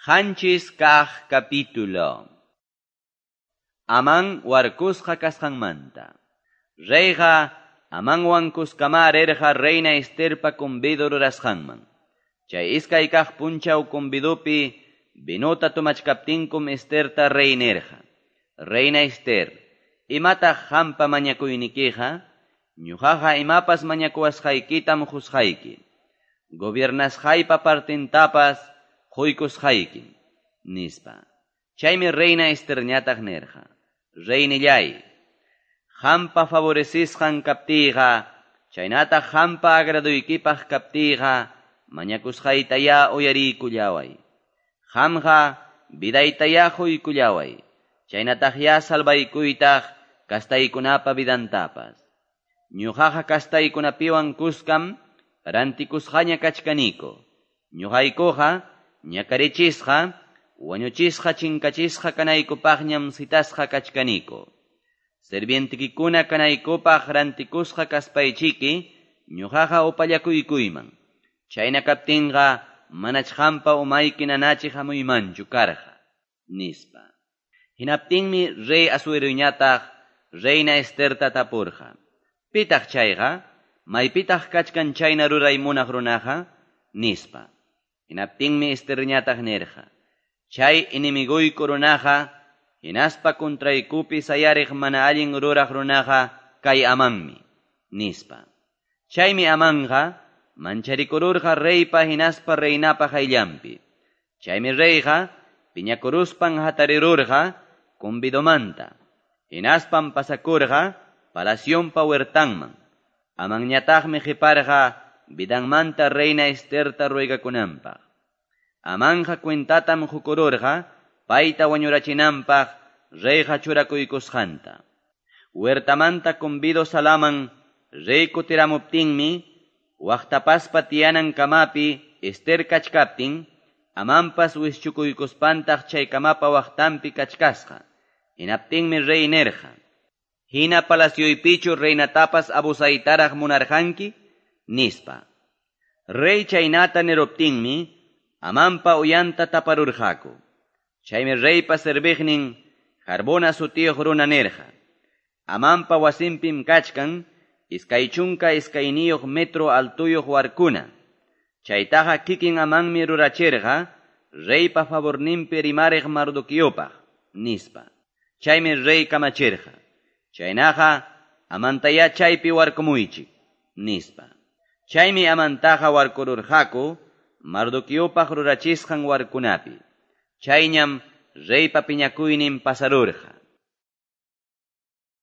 7 kaq capítulo. Amán warkusqa kasqanmanta. Reyqa Amanwan kuskama rirqa reina Esterpa convido rurasqanman. Chay iskay kaq punchaw convidopi vinota tomachkaptinkum Esterta rey nirqa: "Reina Ester, imataq qampa mañakuynikiqa? Ñuqaqa imapas mañakuwasqaykitam qusqayki. Gobiernasqaypa partintapas quykusqaykim", nispa. Chaymi reina Esterñataq nirqa: "Reynillay, qampa favorecisqan kaptiyqa, chaynataq qampa agraduykipaq kaptiyqa, mañakusqaytayá uyariykullaway. Qamqa vidaytayá quykullaway, chaynataqyá salvaykuytaq kastaykunapa vidantapas. Ñuqaqa kastaykunapiwan kuskam rantikusqaña kachkaniku. Ñuqaykuqa ñakarichisqa, wañuchisqa chinkachisqa kanaykupaqñam citasqa kachkaniku. Sirvientikikuna kanaykupaq rantikusqa kaspaychiki, ñuqaqa upallakuykuyman. Chayna kaptinqa manach qampa umayki nanachiq hamuymanchu karqa", nispa. Hinaptinmi rey Asueroñataq reina Esterta tapurqa: "Pitaq chayqa? Maypitaq kachkan chayna ruray munaq runaqa?" nispa. Hinaptinmi Esterñataq nirqa: "Chay enemiguyku runaqa, hinaspa contraykupi sayariq mana allin ruraq runaqa kay Amanmi", nispa. Chaymi Amanqa mancharikururqa reypa hinaspa reinapa qayllanpi. Chaymi reyqa piñakuruspan hatarirurqa convidomanta. Hinaspan pasakurqa palacionpa huertanman. Amanñataqmi qiparqa vidanmanta reina Esterta ruegakunanpaq. Amanqa cuentatam qukururqa payta wañurachinanpaq reyqa churakuykusqanta. Huertamanta convido salaman rey kutiramuptinmi waqtapaspa tiyanan kamapi Ester kachkaptin, Amanpas wischukuykuspantaq chay kamapa waqtanpi kachkasqa. Hinaptinmi rey nirqa: "Hina palacioypichu reinatapas abusaytaraq munarqanki?" nispa. Rey chaynata niruptinmi Amanpa uyanta taparurqaku. Chaymi reypa serviqnin Harbona sutiyuq runa nirqa: "Amanpa wasinpim kachkan 22 metro altuyuq warkuna. Chaytaqa kikin Amanmi rurachirqa reypa favorninpi rimariq Mardoqueopaq", nispa. Chaymi rey kamachirqa: "Chaynaqa Amantayá chaypi warkumuychik", nispa. Chaymi Amantaqa warkururqaku Mardoqueopaq rurachisqan warkunapi. Chayñam reypa piñakuynin pasarurqa.